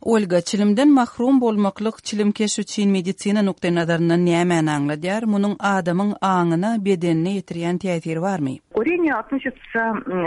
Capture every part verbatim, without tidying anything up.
Olga, çilimden mahrum bolmaklyk çilimkeş üçin medisina nukta nazarından näme anladýar? Munyň adamyň aňyna, bedenine ýetirýän täsiri barmy? Курение относится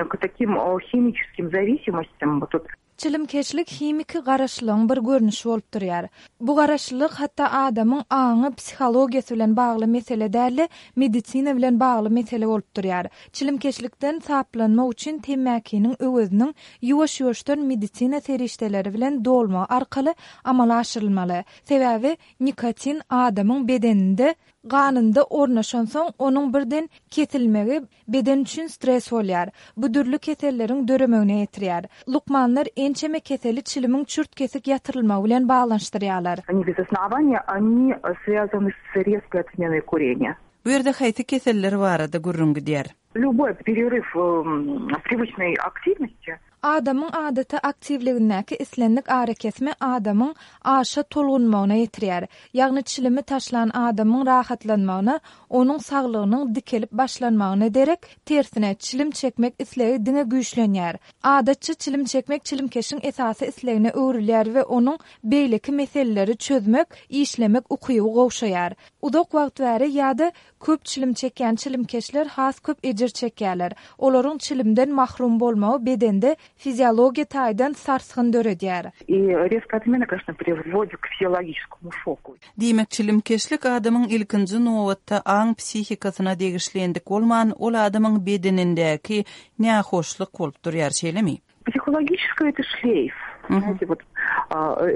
к таким химическим зависимостям. Вот тут Çilimkeşlik himiki garaşlygyň bir görnüşi bolup durýar. Bu garaşlyk hatda adamyň aňy psihologiýasy bilen bagly mesele däl, medisina bilen bagly mesele bolup durýar. Çilimkeşlikden saplanmak üçin temäkiniň özüniň ýuwaş-ýuwaşdan medisina serişdeleri bilen dolma arkaly amala aşyrylmaly. Sebäbi nikotin adamyň bedeninde ganynda ornaşan soň onuň birden kesilmegi beden üçin stres bolýar. Bu dürli keselleriň döremegine ýetirýär. Lukmanlar ençeme keseli çilimiň çürt kesik ýatyrylmagy bilen baglanşdyrýarlar. Они без основания, они связаны с резкой отменой курения. Bu ýerde haýsy keseller barada gurrungy diýär. Любой перерыв привычной активности Adamyň adaty aktivligindäki islendik ara kesme adamyň aşa tolgunmagyna ýetirýär. Ýagny çilimi taşlan adamyň rahatlanmagyna, onuň saglygynyň dikelip başlanmagyna derek, tersine çilim çekmek islegi diňe güýçlenýär. Adatçy çilim çekmek çilimkeşiň esasy islegine öwrilýär we onuň beýleki meseleleri çözmek, işlemek ukyby gowşaýar. Uzak wagt bäri ýa-da köp çilim çekýän çilimkeşler has köp ejir çekýärler. Olaryň çilimden mahrum bolmagy bedende fiziologiya taýdan sarsgyn döredýär. И резкая отмена, конечно, приводит к физиологическому шоку. Diýmek çilimkeşlik adamyň ilkinji nowatda aň psihikasyna degişlendik bolman, ol adamyň bedenindäki nähoşlyk bolup durýar şeýlemi? Психологическое это шлейф. Знаете, вот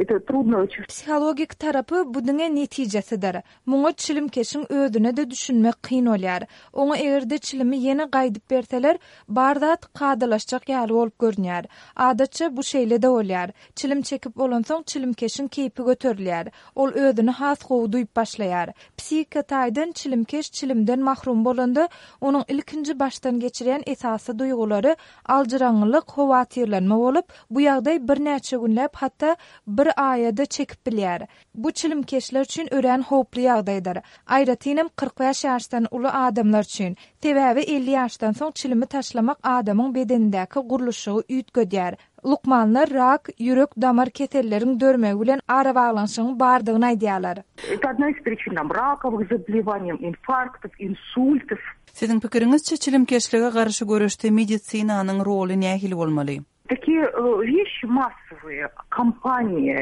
это трудно очень. Psihologik tarapy bu diňe netijesidir. Muňa çilimkeşiň özüne de düşünmek kyn bolýar. Oňa egerde çilimi ýene gaýdyp berseler, bardat gadylaşjak ýaly bolup görnýär. Adatça bu şeýle de bolýar. Çilim çekip bolan soň çilimkeşiň keýpi göterilýär. Ol özüni has gowy duýup başlaýar. Psihika taýdan çilimkeş çilimden mahrum bolanda, onuň ilkinji başdan geçiren esasy duýgulary aljyraňlyk, howatyrlanma bolup, bu ýagdaý bir näçe günläp hatda bir aýada çekip bilýär. Bu çilimkeşler üçin ören howply ýagdaýdyr. Aýratynam kırk beş ýaşdan uly adamlar üçin. Sebäbi elli ýaşdan soň çilimi taşlamak adamyň bedenindäki guruluşy üýtgedýär. Lukmanlar rak, ýürek damar keselleriň dörmegi bilen ara baglanşygyň bardygyny aýdýarlar. Это одна из причин там раковых заболеваний, инфарктов, инсультов. Siziň pikiriňizçe çilimkeşlige garşy görüşde medisinanyň roly nähili bolmaly? Такие вещи массовые, компании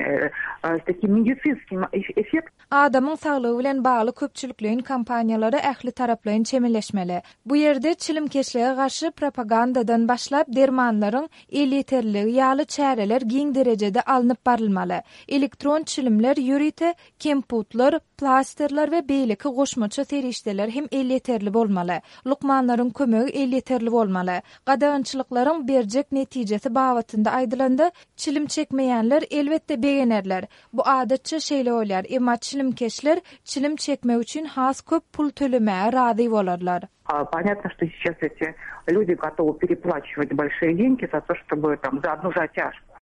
с таким медицинским эффектом. Adamyň saglygy bilen bagly köpçüliklerin kampaniýalary ähli taraplaryň çemeleşmeli. Bu ýerde çilimkeşlige garşy propagandadan başlap dermanlaryň eliterligi ýaly çäreler giň derejede alınıp barylmaly. Elektron çilimler, ýürite, kemputlar, plasterler we beýleki goşmaça serişdeler hem eliterli bolmaly. Lukmanlaryň kömegi eliterli bolmaly. Gadagynçylyklaryň berjek netijesi babatynda aýdylanda, çilim çekmeýänler elbetde begenerler. Bu adatça şeýle bolýar. Emma çilimkeşler çilim çekmek üçin has köp pul tölemäge razy bolarlar. Понятно, что сейчас эти люди готовы переплачивать большие деньги за то, чтобы там за одну затяжку.